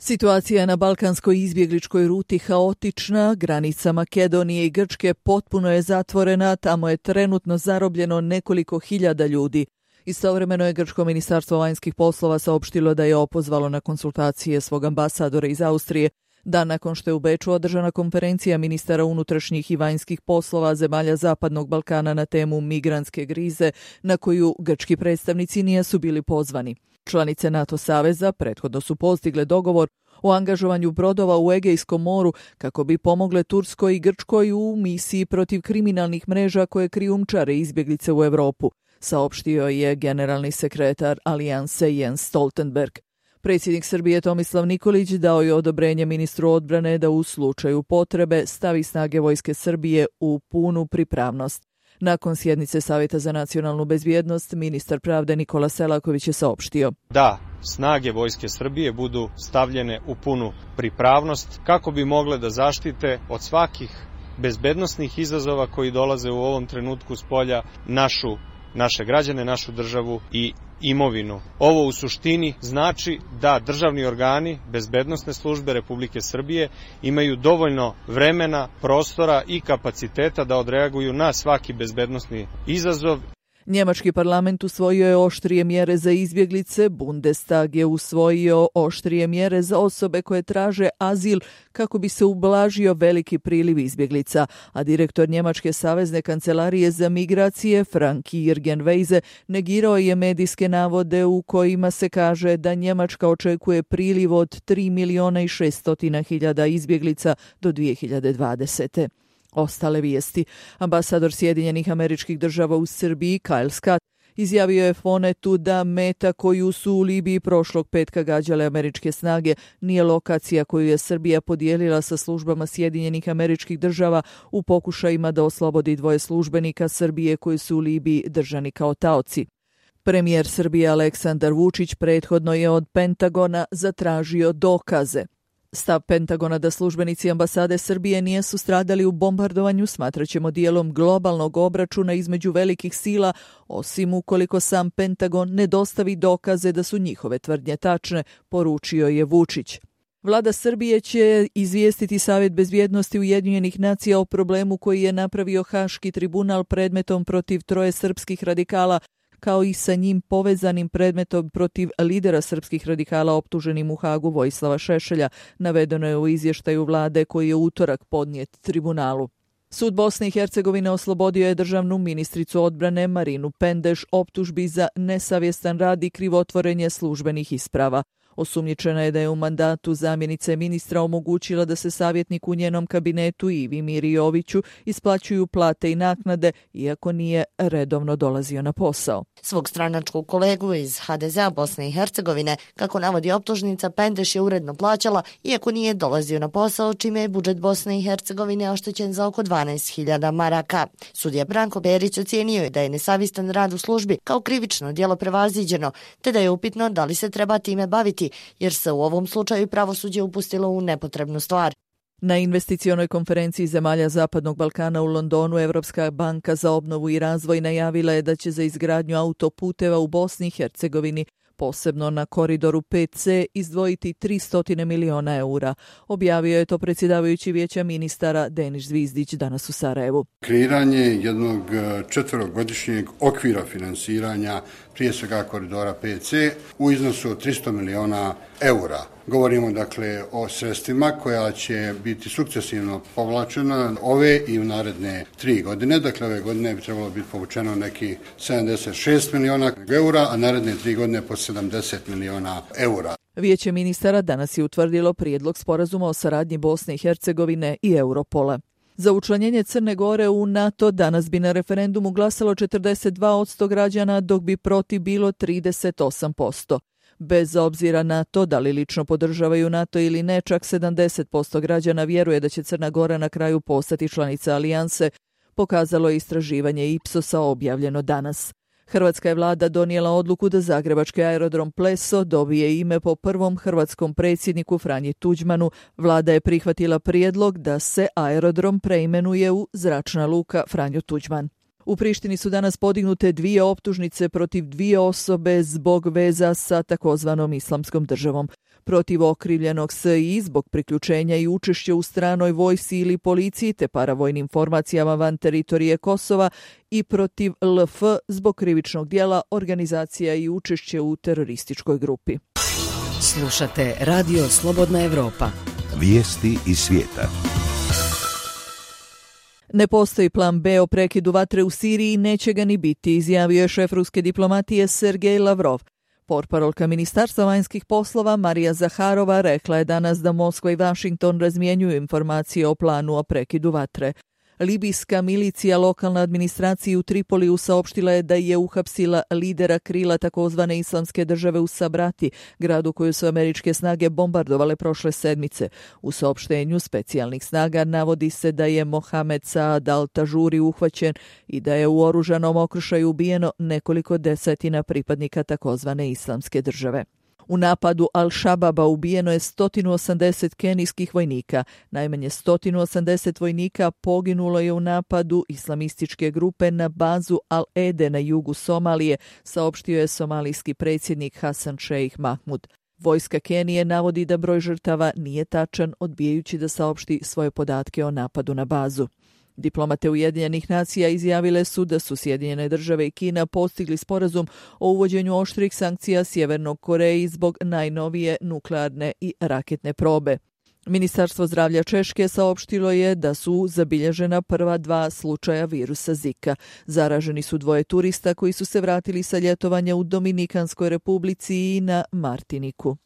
Situacija je na balkanskoj izbjegličkoj ruti haotična, granica Makedonije i Grčke potpuno je zatvorena, tamo je trenutno zarobljeno nekoliko hiljada ljudi. Istovremeno je Grčko ministarstvo vanjskih poslova saopštilo da je opozvalo na konsultacije svog ambasadora iz Austrije, dan nakon što je u Beču održana konferencija ministara unutrašnjih i vanjskih poslova zemalja Zapadnog Balkana na temu migrantske krize, na koju grčki predstavnici nisu bili pozvani. Članice NATO saveza prethodno su postigle dogovor o angažovanju brodova u Egejskom moru kako bi pomogle Turskoj i Grčkoj u misiji protiv kriminalnih mreža koje krijumčare izbjeglice u Europu, saopštio je generalni sekretar Alijanse Jens Stoltenberg. Predsjednik Srbije Tomislav Nikolić dao je odobrenje ministru odbrane da u slučaju potrebe stavi snage vojske Srbije u punu pripravnost. Nakon sjednice Savjeta za nacionalnu bezbjednost, ministar pravde Nikola Selaković je saopštio da snage vojske Srbije budu stavljene u punu pripravnost kako bi mogle da zaštite od svakih bezbednosnih izazova koji dolaze u ovom trenutku s polja naše građane, našu državu i imovinu. Ovo u suštini znači da državni organi, bezbednosne službe Republike Srbije imaju dovoljno vremena, prostora i kapaciteta da odreaguju na svaki bezbednosni izazov. Njemački parlament usvojio je oštrije mjere za izbjeglice, Bundestag je usvojio oštrije mjere za osobe koje traže azil kako bi se ublažio veliki priliv izbjeglica, a direktor Njemačke savezne kancelarije za migracije Frank-Jürgen Weise negirao je medijske navode u kojima se kaže da Njemačka očekuje priliv od 3.600.000 izbjeglica do 2020. Ostale vijesti. Ambasador Sjedinjenih Američkih Država u Srbiji, Kyle Scott, izjavio je Fonetu da meta koju su u Libiji prošlog petka gađale američke snage nije lokacija koju je Srbija podijelila sa službama Sjedinjenih Američkih Država u pokušajima da oslobodi 2 službenika Srbije koji su u Libiji držani kao taoci. Premijer Srbije Aleksandar Vučić prethodno je od Pentagona zatražio dokaze. Stav Pentagona da službenici ambasade Srbije nisu stradali u bombardovanju smatraćemo dijelom globalnog obračuna između velikih sila, osim ukoliko sam Pentagon ne dostavi dokaze da su njihove tvrdnje tačne, poručio je Vučić. Vlada Srbije će izvijestiti Savjet bezbjednosti Ujedinjenih nacija o problemu koji je napravio Haški tribunal predmetom protiv 3 srpskih radikala, kao i sa njim povezanim predmetom protiv lidera srpskih radikala optuženim u Hagu Vojislava Šešelja, navedeno je u izvještaju vlade koji je u utorak podnijet tribunalu. Sud Bosne i Hercegovine oslobodio je državnu ministricu odbrane Marinu Pendeš optužbi za nesavjestan rad i krivotvorenje službenih isprava. Osumnjičena je da je u mandatu zamjenice ministra omogućila da se savjetnik u njenom kabinetu Ivi Miri Joviću isplaćuju plate i naknade, iako nije redovno dolazio na posao. Svog stranačkog kolegu iz HDZ-a Bosne i Hercegovine, kako navodi optužnica, Pendeš je uredno plaćala, iako nije dolazio na posao, čime je budžet Bosne i Hercegovine oštećen za oko 12.000 maraka. Sudija Branko Berić ocijenio je da je nesavjestan rad u službi kao krivično djelo prevaziđeno, te da je upitno da li se treba time baviti, jer se u ovom slučaju pravosuđe upustilo u nepotrebnu stvar. Na investicionoj konferenciji zemalja Zapadnog Balkana u Londonu Evropska banka za obnovu i razvoj najavila je da će za izgradnju autoputeva u Bosni i Hercegovini, posebno na koridoru 5C, izdvojiti 300 miliona eura. Objavio je to predsjedavajući Vijeća ministara Denis Zvizdić danas u Sarajevu. Kreiranje jednog 4-godišnjeg okvira finansiranja, prije svega koridora 5C, u iznosu od 300 miliona eura. Govorimo dakle o sredstvima koja će biti sukcesivno povlačena ove i u naredne 3 godine. Dakle, ove godine bi trebalo biti povučeno neki 76 miliona eura, a naredne 3 godine po 70 miliona eura. Vijeće ministara danas je utvrdilo prijedlog sporazuma o saradnji Bosne i Hercegovine i Europola. Za učlanjenje Crne Gore u NATO danas bi na referendumu glasalo 42% građana, dok bi protiv bilo 38%. Bez obzira na to da li lično podržavaju NATO ili ne, čak 70% građana vjeruje da će Crna Gora na kraju postati članica alijanse, pokazalo je istraživanje Ipsosa objavljeno danas. Hrvatska je vlada donijela odluku da zagrebački aerodrom Pleso dobije ime po prvom hrvatskom predsjedniku Franji Tuđmanu. Vlada je prihvatila prijedlog da se aerodrom preimenuje u Zračna luka Franjo Tuđman. U Prištini su danas podignute 2 optužnice protiv 2 osobe zbog veza sa takozvanom islamskom državom. Protiv okrivljenog SI zbog priključenja i učešća u stranoj vojsci ili policiji te paravojnim formacijama van teritorije Kosova i protiv LF zbog krivičnog dijela organizacija i učešće u terorističkoj grupi. Slušate Radio Slobodna Evropa. Vijesti iz svijeta. Ne postoji plan B o prekidu vatre u Siriji i neće ga ni biti, izjavio je šef ruske diplomatije Sergej Lavrov. Portparolka Ministarstva vanjskih poslova Marija Zaharova rekla je danas da Moskva i Washington razmjenjuju informacije o planu o prekidu vatre. Libijska milicija lokalna administraciji u Tripoliju saopštila je da je uhapsila lidera krila takozvane islamske države u Sabrati, gradu koju su američke snage bombardovale prošle sedmice. U saopštenju specijalnih snaga navodi se da je Mohamed Saad al-Tažuri uhvaćen i da je u oružanom okršaju ubijeno nekoliko desetina pripadnika takozvane islamske države. U napadu Al-Shababa ubijeno je 180 kenijskih vojnika. Najmanje 180 vojnika poginulo je u napadu islamističke grupe na bazu Al-Ede na jugu Somalije, saopštio je somalijski predsjednik Hasan Sheikh Mahmud. Vojska Kenije navodi da broj žrtava nije tačan, odbijajući da saopšti svoje podatke o napadu na bazu. Diplomate Ujedinjenih nacija izjavile su da su Sjedinjene države i Kina postigli sporazum o uvođenju oštrih sankcija Sjevernoj Koreji zbog najnovije nuklearne i raketne probe. Ministarstvo zdravlja Češke saopštilo je da su zabilježena prva 2 slučaja virusa Zika. Zaraženi su 2 turista koji su se vratili sa ljetovanja u Dominikanskoj republici i na Martiniku.